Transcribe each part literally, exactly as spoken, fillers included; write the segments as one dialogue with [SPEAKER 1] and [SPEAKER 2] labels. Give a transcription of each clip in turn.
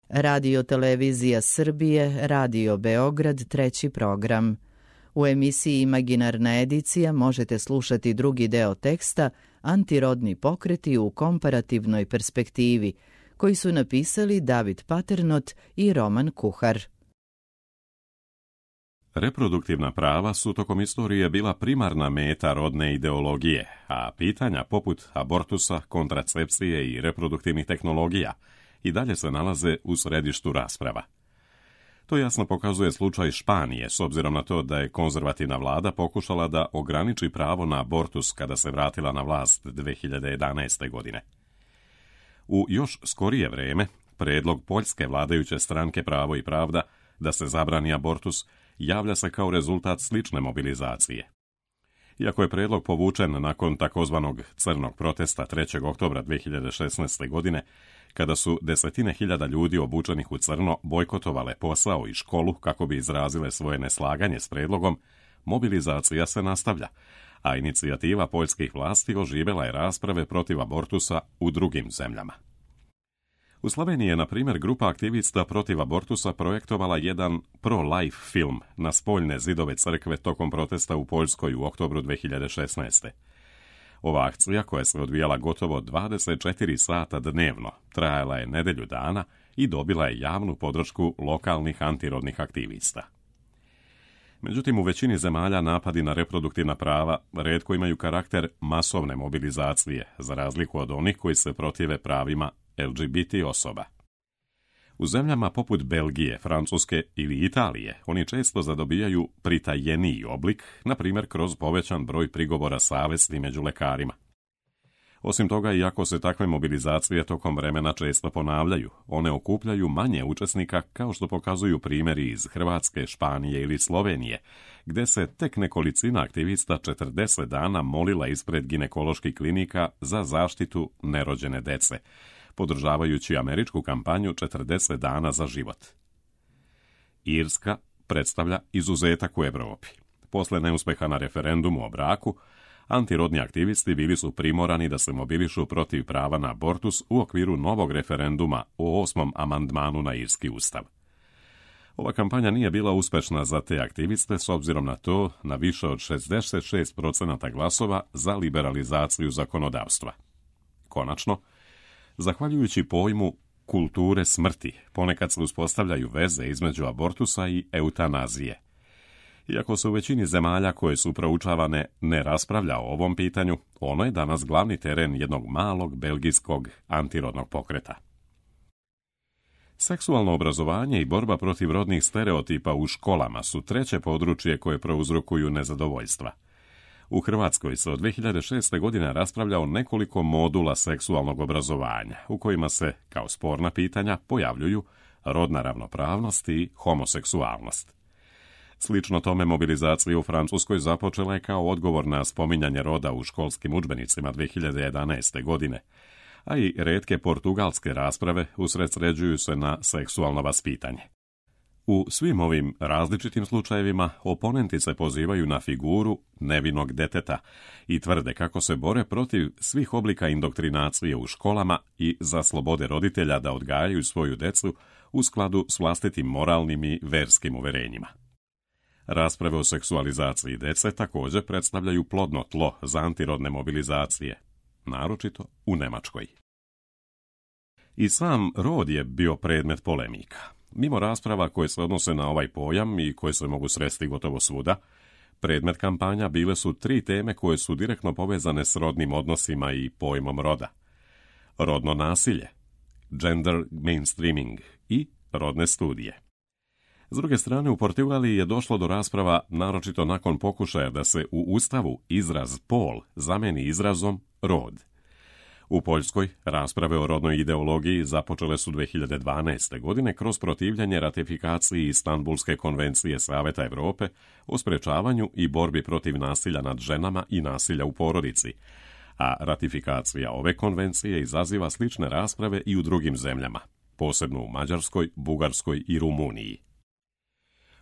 [SPEAKER 1] Radio Televizija Srbije, Radio Beograd, treći program. U emisiji Imaginarna edicija možete slušati drugi deo teksta Antirodni pokreti u komparativnoj perspektivi, koji su napisali David Paternot i Roman Kuhar.
[SPEAKER 2] Reproduktivna prava su tokom istorije bila primarna meta rodne ideologije, a pitanja poput abortusa, kontracepcije i reproduktivnih tehnologija i dalje se nalaze u središtu rasprava. To jasno pokazuje slučaj Španije, s obzirom na to da je konzervativna vlada pokušala da ograniči pravo na abortus kada se vratila na vlast dve hiljade jedanaeste. godine. U još skorije vreme, predlog poljske vladajuće stranke Pravo i pravda da se zabrani abortus javlja se kao rezultat slične mobilizacije. Iako je predlog povučen nakon takozvanog crnog protesta trećeg oktobra dve hiljade šesnaeste. godine, kada su desetine hiljada ljudi obučenih u crno bojkotovale posao i školu kako bi izrazile svoje neslaganje s predlogom, mobilizacija se nastavlja, a inicijativa poljskih vlasti oživela je rasprave protiv abortusa u drugim zemljama. U Sloveniji je, na primjer, grupa aktivista protiv abortusa projektovala jedan pro-life film na spoljne zidove crkve tokom protesta u Poljskoj u oktobru dve hiljade šesnaeste. Ova akcija, koja se odvijala gotovo dvadeset četiri sata dnevno, trajala je nedelju dana i dobila je javnu podršku lokalnih antirodnih aktivista. Međutim, u većini zemalja napadi na reproduktivna prava retko imaju karakter masovne mobilizacije, za razliku od onih koji se protive pravima L G B T osoba. U zemljama poput Belgije, Francuske ili Italije oni često zadobijaju pritajeniji oblik, na primjer kroz povećan broj prigovora savesti među lekarima. Osim toga, iako se takve mobilizacije tokom vremena često ponavljaju, one okupljaju manje učesnika, kao što pokazuju primjeri iz Hrvatske, Španije ili Slovenije, gde se tek nekolicina aktivista četrdeset dana molila ispred ginekoloških klinika za zaštitu nerođene dece, podržavajući američku kampanju četrdeset dana za život. Irska predstavlja izuzetak u Evropi. Posle neuspeha na referendumu o braku, antirodni aktivisti bili su primorani da se mobilišu protiv prava na abortus u okviru novog referenduma o osmom amandmanu na irski ustav. Ova kampanja nije bila uspešna za te aktiviste s obzirom na to na više od šezdeset šest procenata glasova za liberalizaciju zakonodavstva. Konačno, zahvaljujući pojmu kulture smrti, ponekad se uspostavljaju veze između abortusa i eutanazije. Iako se u većini zemalja koje su proučavane ne raspravlja o ovom pitanju, ono je danas glavni teren jednog malog belgijskog antirodnog pokreta. Seksualno obrazovanje i borba protiv rodnih stereotipa u školama su treće područje koje prouzrokuju nezadovoljstva. U Hrvatskoj se od dve hiljade šeste. godine raspravlja o nekoliko modula seksualnog obrazovanja, u kojima se, kao sporna pitanja, pojavljuju rodna ravnopravnost i homoseksualnost. Slično tome, mobilizacija u Francuskoj započela je kao odgovor na spominjanje roda u školskim udžbenicima dve hiljade jedanaeste. godine, a i retke portugalske rasprave usredsređuju se na seksualno vaspitanje. U svim ovim različitim slučajevima oponenti se pozivaju na figuru nevinog deteta i tvrde kako se bore protiv svih oblika indoktrinacije u školama i za slobode roditelja da odgajaju svoju decu u skladu s vlastitim moralnim i verskim uverenjima. Rasprave o seksualizaciji dece također predstavljaju plodno tlo za antirodne mobilizacije, naročito u Nemačkoj. I sam rod je bio predmet polemika. Mimo rasprava koje se odnose na ovaj pojam i koje se mogu sresti gotovo svuda, predmet kampanja bile su tri teme koje su direktno povezane s rodnim odnosima i pojmom roda. Rodno nasilje, gender mainstreaming i rodne studije. S druge strane, u Portugaliji je došlo do rasprava, naročito nakon pokušaja da se u Ustavu izraz pol zameni izrazom rod. U Poljskoj rasprave o rodnoj ideologiji započele su dve hiljade dvanaeste. godine kroz protivljenje ratifikaciji Istanbulske konvencije Saveta Evrope o sprečavanju i borbi protiv nasilja nad ženama i nasilja u porodici, a ratifikacija ove konvencije izaziva slične rasprave i u drugim zemljama, posebno u Mađarskoj, Bugarskoj i Rumuniji.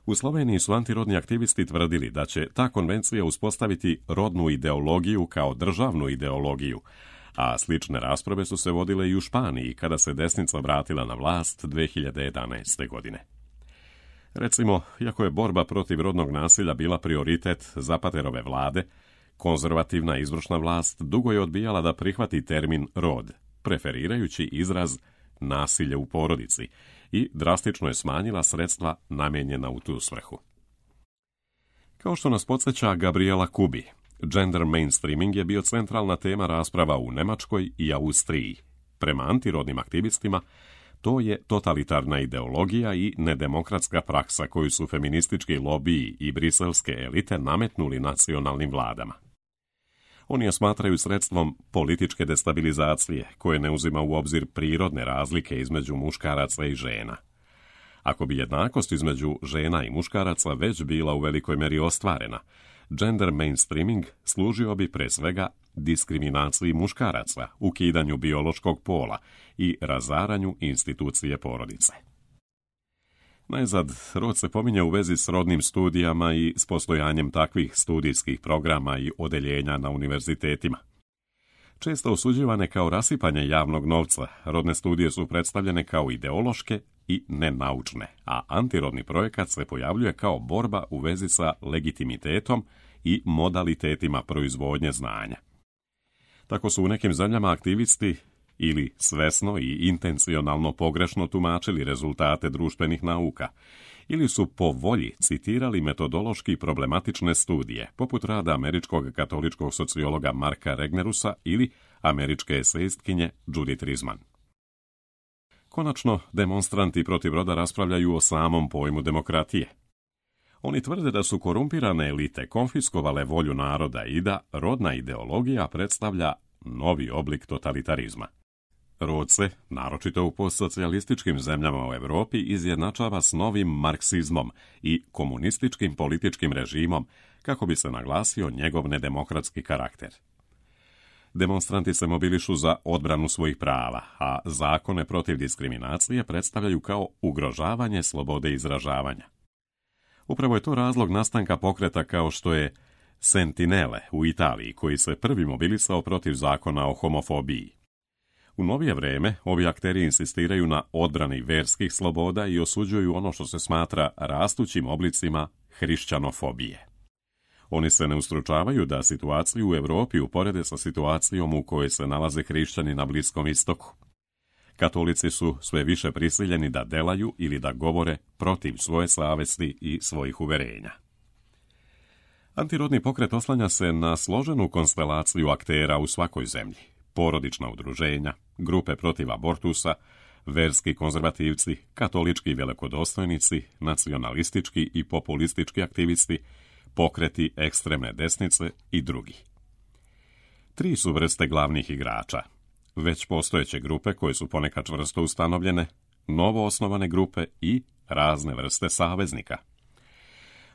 [SPEAKER 2] U Sloveniji su antirodni aktivisti tvrdili da će ta konvencija uspostaviti rodnu ideologiju kao državnu ideologiju, a slične rasprave su se vodile i u Španiji kada se desnica vratila na vlast dve hiljade jedanaeste. godine. Recimo, iako je borba protiv rodnog nasilja bila prioritet Zapaterove vlade, konzervativna izvršna vlast dugo je odbijala da prihvati termin rod, preferirajući izraz nasilje u porodici, i drastično je smanjila sredstva namijenjena u tu svrhu. Kao što nas podsjeća Gabriela Kubi, gender mainstreaming je bio centralna tema rasprava u Nemačkoj i Austriji. Prema antirodnim aktivistima, to je totalitarna ideologija i nedemokratska praksa koju su feministički lobiji i briselske elite nametnuli nacionalnim vladama. Oni je smatraju sredstvom političke destabilizacije, koje ne uzima u obzir prirodne razlike između muškaraca i žena. Ako bi jednakost između žena i muškaraca već bila u velikoj meri ostvarena, gender mainstreaming služio bi pre svega diskriminaciji muškaraca, ukidanju biološkog pola i razaranju institucije porodice. Najzad, rod se pominje u vezi s rodnim studijama i s postojanjem takvih studijskih programa i odeljenja na univerzitetima. Često osuđivane kao rasipanje javnog novca, rodne studije su predstavljene kao ideološke i nenaučne, a antirodni projekat se pojavljuje kao borba u vezi sa legitimitetom i modalitetima proizvodnje znanja. Tako su u nekim zemljama aktivisti ili svesno i intencionalno pogrešno tumačili rezultate društvenih nauka, ili su po volji citirali metodološki problematične studije, poput rada američkog katoličkog sociologa Marka Regnerusa ili američke esejistkinje Judith Rizman. Konačno, demonstranti protiv roda raspravljaju o samom pojmu demokratije. Oni tvrde da su korumpirane elite konfiskovale volju naroda i da rodna ideologija predstavlja novi oblik totalitarizma. Rod se, naročito u postsocijalističkim zemljama u Europi, izjednačava s novim marksizmom i komunističkim političkim režimom kako bi se naglasio njegov nedemokratski karakter. Demonstranti se mobilišu za odbranu svojih prava, a zakone protiv diskriminacije predstavljaju kao ugrožavanje slobode izražavanja. Upravo je to razlog nastanka pokreta kao što je Sentinele u Italiji, koji se prvi mobilisao protiv zakona o homofobiji. U novije vreme ovi akteri insistiraju na odbrani verskih sloboda i osuđuju ono što se smatra rastućim oblicima hrišćanofobije. Oni se ne ustručavaju da situaciju u Europi uporede sa situacijom u kojoj se nalaze hrišćani na Bliskom istoku. Katolici su sve više prisiljeni da delaju ili da govore protiv svoje savesti i svojih uverenja. Antirodni pokret oslanja se na složenu konstelaciju aktera u svakoj zemlji. Porodična udruženja, grupe protiv abortusa, verski konzervativci, katolički velikodostojnici, nacionalistički i populistički aktivisti, pokreti ekstremne desnice i drugi. Tri su vrste glavnih igrača. Već postojeće grupe koje su ponekad čvrsto ustanovljene, novo osnovane grupe i razne vrste saveznika.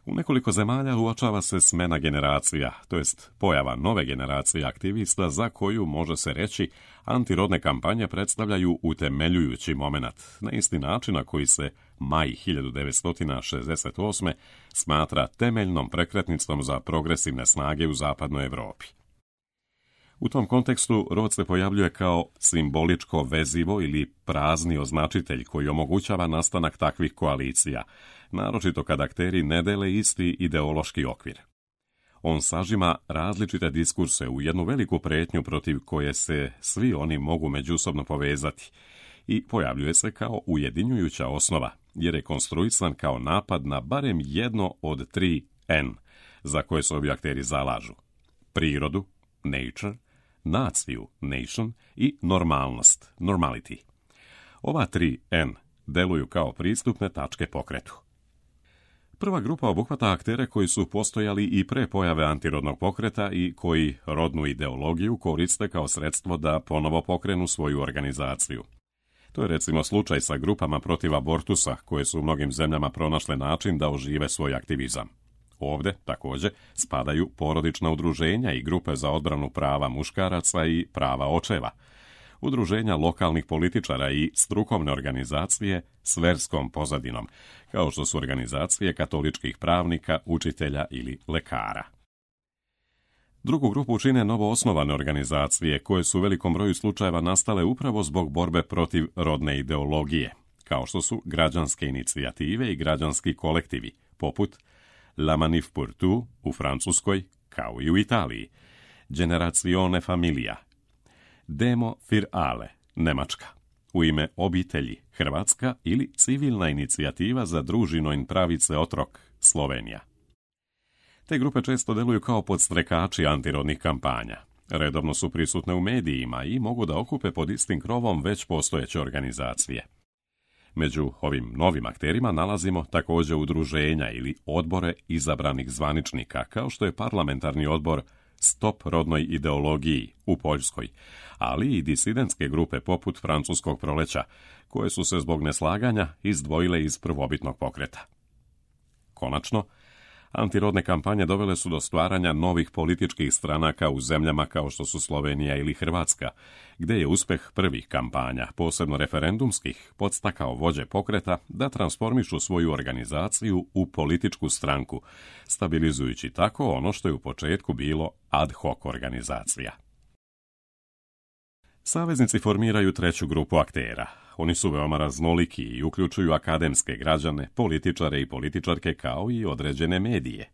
[SPEAKER 2] U nekoliko zemalja uočava se smena generacija, to jest pojava nove generacije aktivista za koju, može se reći, antirodne kampanje predstavljaju utemeljujući momenat, na isti način na koji se maj hiljadu devetsto šezdeset osme smatra temeljnom prekretnicom za progresivne snage u zapadnoj Europi. U tom kontekstu rod se pojavljuje kao simboličko vezivo ili prazni označitelj koji omogućava nastanak takvih koalicija, naročito kad akteri ne dele isti ideološki okvir. On sažima različite diskurse u jednu veliku pretnju protiv koje se svi oni mogu međusobno povezati i pojavljuje se kao ujedinjujuća osnova, jer je konstruisan kao napad na barem jedno od tri N za koje se ovi akteri zalažu: prirodu, nature, naciju, nation, i normalnost, normality. Ova tri N deluju kao pristupne tačke pokretu. Prva grupa obuhvata aktere koji su postojali i pre pojave antirodnog pokreta i koji rodnu ideologiju koriste kao sredstvo da ponovo pokrenu svoju organizaciju. To je recimo slučaj sa grupama protiv abortusa, koje su u mnogim zemljama pronašle način da ožive svoj aktivizam. Ovde, također, spadaju porodična udruženja i grupe za odbranu prava muškaraca i prava očeva, udruženja lokalnih političara i strukovne organizacije s verskom pozadinom, kao što su organizacije katoličkih pravnika, učitelja ili lekara. Drugu grupu čine novoosnovane organizacije koje su u velikom broju slučajeva nastale upravo zbog borbe protiv rodne ideologije, kao što su građanske inicijative i građanski kolektivi, poput La Manif pour tout u Francuskoj, kao i u Italiji, Generazione Familia, Demo für alle, Nemačka, U ime obitelji, Hrvatska ili Civilna inicijativa za družino in pravice otrok, Slovenija. Te grupe često deluju kao podstrekači antirodnih kampanja. Redovno su prisutne u medijima i mogu da okupe pod istim krovom već postojeće organizacije. Među ovim novim akterima nalazimo također udruženja ili odbore izabranih zvaničnika, kao što je parlamentarni odbor Stop rodnoj ideologiji u Poljskoj, ali i disidentske grupe poput Francuskog proleća, koje su se zbog neslaganja izdvojile iz prvobitnog pokreta. Konačno, antirodne kampanje dovele su do stvaranja novih političkih stranaka u zemljama kao što su Slovenija ili Hrvatska, gdje je uspjeh prvih kampanja, posebno referendumskih, podstakao vođe pokreta da transformišu svoju organizaciju u političku stranku, stabilizujući tako ono što je u početku bilo ad hoc organizacija. Saveznici formiraju treću grupu aktera. Oni su veoma raznoliki i uključuju akademske građane, političare i političarke kao i određene medije.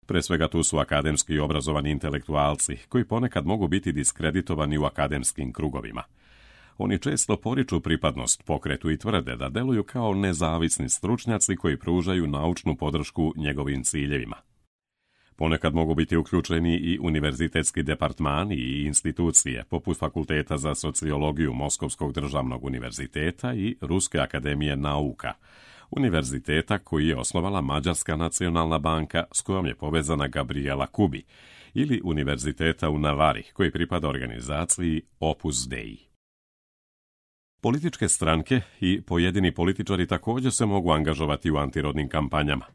[SPEAKER 2] Pre svega tu su akademski i obrazovani intelektualci, koji ponekad mogu biti diskreditovani u akademskim krugovima. Oni često poriču pripadnost pokretu i tvrde da deluju kao nezavisni stručnjaci koji pružaju naučnu podršku njegovim ciljevima. Ponekad mogu biti uključeni i univerzitetski departmani i institucije, poput Fakulteta za sociologiju Moskovskog državnog univerziteta i Ruske akademije nauka, univerziteta koji je osnovala Mađarska nacionalna banka s kojom je povezana Gabriela Kubi, ili univerziteta u Navari koji pripada organizaciji Opus Dei. Političke stranke i pojedini političari također se mogu angažovati u antirodnim kampanjama.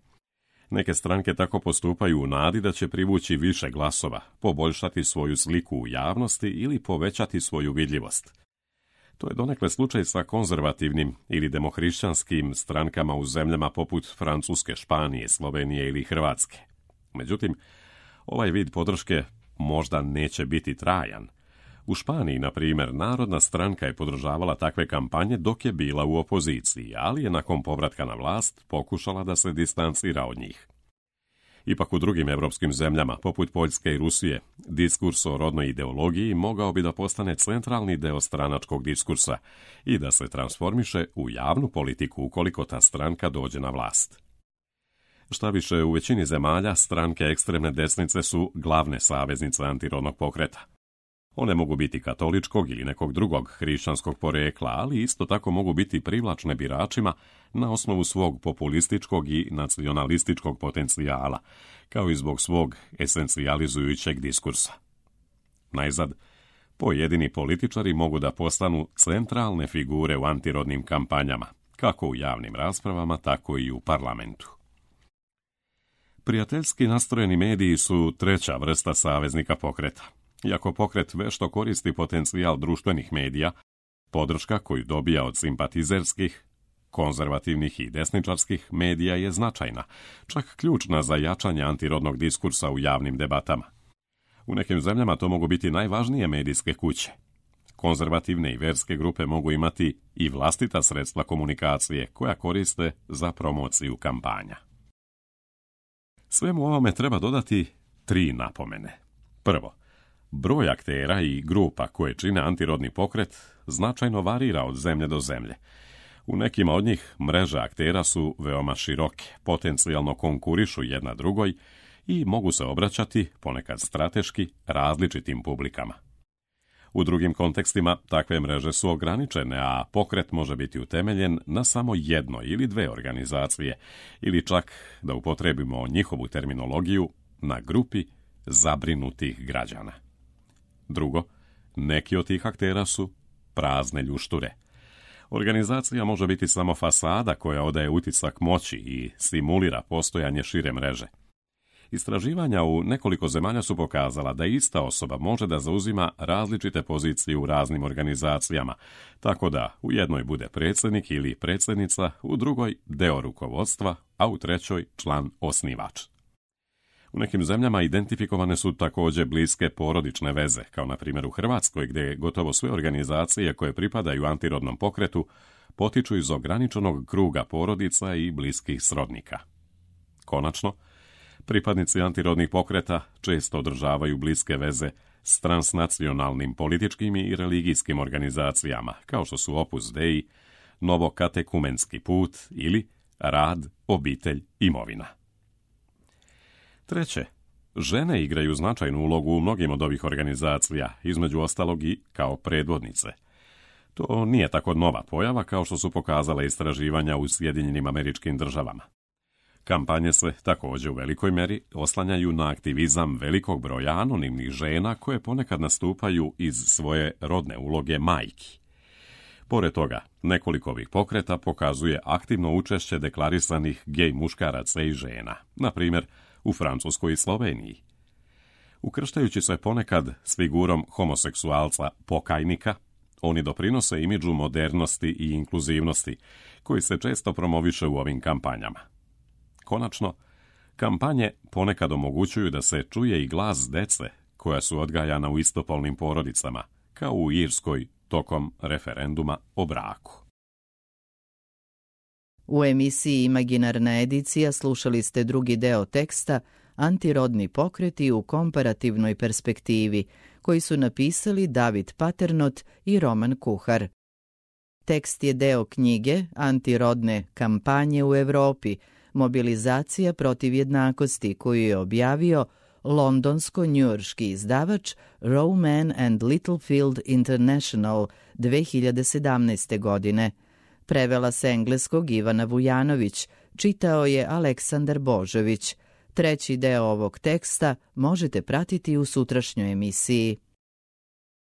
[SPEAKER 2] Neke stranke tako postupaju u nadi da će privući više glasova, poboljšati svoju sliku u javnosti ili povećati svoju vidljivost. To je donekle slučaj sa konzervativnim ili demohrišćanskim strankama u zemljama poput Francuske, Španije, Slovenije ili Hrvatske. Međutim, ovaj vid podrške možda neće biti trajan. U Španiji, na primjer, Narodna stranka je podržavala takve kampanje dok je bila u opoziciji, ali je nakon povratka na vlast pokušala da se distancira od njih. Ipak u drugim evropskim zemljama, poput Poljske i Rusije, diskurs o rodnoj ideologiji mogao bi da postane centralni deo stranačkog diskursa i da se transformiše u javnu politiku ukoliko ta stranka dođe na vlast. Šta više, u većini zemalja stranke ekstremne desnice su glavne saveznice antirodnog pokreta. One mogu biti katoličkog ili nekog drugog hrišćanskog porekla, ali isto tako mogu biti privlačne biračima na osnovu svog populističkog i nacionalističkog potencijala, kao i zbog svog esencijalizujućeg diskursa. Najzad, pojedini političari mogu da postanu centralne figure u antirodnim kampanjama, kako u javnim raspravama, tako i u parlamentu. Prijateljski nastrojeni mediji su treća vrsta saveznika pokreta. Iako pokret vešto koristi potencijal društvenih medija, podrška koju dobija od simpatizerskih, konzervativnih i desničarskih medija je značajna, čak ključna za jačanje antirodnog diskursa u javnim debatama. U nekim zemljama to mogu biti najvažnije medijske kuće. Konzervativne i verske grupe mogu imati i vlastita sredstva komunikacije koja koriste za promociju kampanja. Svemu ovome treba dodati tri napomene. Prvo, broj aktera i grupa koje čine antirodni pokret značajno varira od zemlje do zemlje. U nekima od njih mreže aktera su veoma široke, potencijalno konkurišu jedna drugoj i mogu se obraćati, ponekad strateški, različitim publikama. U drugim kontekstima takve mreže su ograničene, a pokret može biti utemeljen na samo jednoj ili dve organizacije, ili čak, da upotrebimo njihovu terminologiju, na grupi zabrinutih građana. Drugo, neki od tih aktera su prazne ljušture. Organizacija može biti samo fasada koja odaje utisak moći i simulira postojanje šire mreže. Istraživanja u nekoliko zemalja su pokazala da ista osoba može da zauzima različite pozicije u raznim organizacijama, tako da u jednoj bude predsjednik ili predsjednica, u drugoj deo rukovodstva, a u trećoj član osnivač. U nekim zemljama identifikovane su također bliske porodične veze, kao na primjer u Hrvatskoj, gdje gotovo sve organizacije koje pripadaju antirodnom pokretu potiču iz ograničenog kruga porodica i bliskih srodnika. Konačno, pripadnici antirodnih pokreta često održavaju bliske veze s transnacionalnim političkim i religijskim organizacijama, kao što su Opus Dei, Novokatekumenski put ili Rad, obitelj, imovina. Treće, žene igraju značajnu ulogu u mnogim od ovih organizacija, između ostalog i kao predvodnice. To nije tako nova pojava kao što su pokazale istraživanja u Sjedinjenim Američkim Državama. Kampanje se također u velikoj meri oslanjaju na aktivizam velikog broja anonimnih žena koje ponekad nastupaju iz svoje rodne uloge majki. Pored toga, nekoliko ovih pokreta pokazuje aktivno učešće deklarisanih gej muškaraca i žena, na primjer u Francuskoj i Sloveniji. Ukrštajući se ponekad s figurom homoseksualca pokajnika, oni doprinose imidžu modernosti i inkluzivnosti, koji se često promoviše u ovim kampanjama. Konačno, kampanje ponekad omogućuju da se čuje i glas dece koja su odgajana u istopolnim porodicama, kao u Irskoj tokom referenduma o braku.
[SPEAKER 1] U emisiji Imaginarna edicija slušali ste drugi deo teksta Antirodni pokreti u komparativnoj perspektivi, koji su napisali David Paternot i Roman Kuhar. Tekst je deo knjige Antirodne kampanje u Evropi, mobilizacija protiv jednakosti, koju je objavio londonsko-njujorški izdavač Rowman and Littlefield International dve hiljade sedamnaeste. godine. Prevela s engleskog Ivana Vujanović, čitao je Aleksandar Božović. Treći deo ovog teksta možete pratiti u sutrašnjoj emisiji.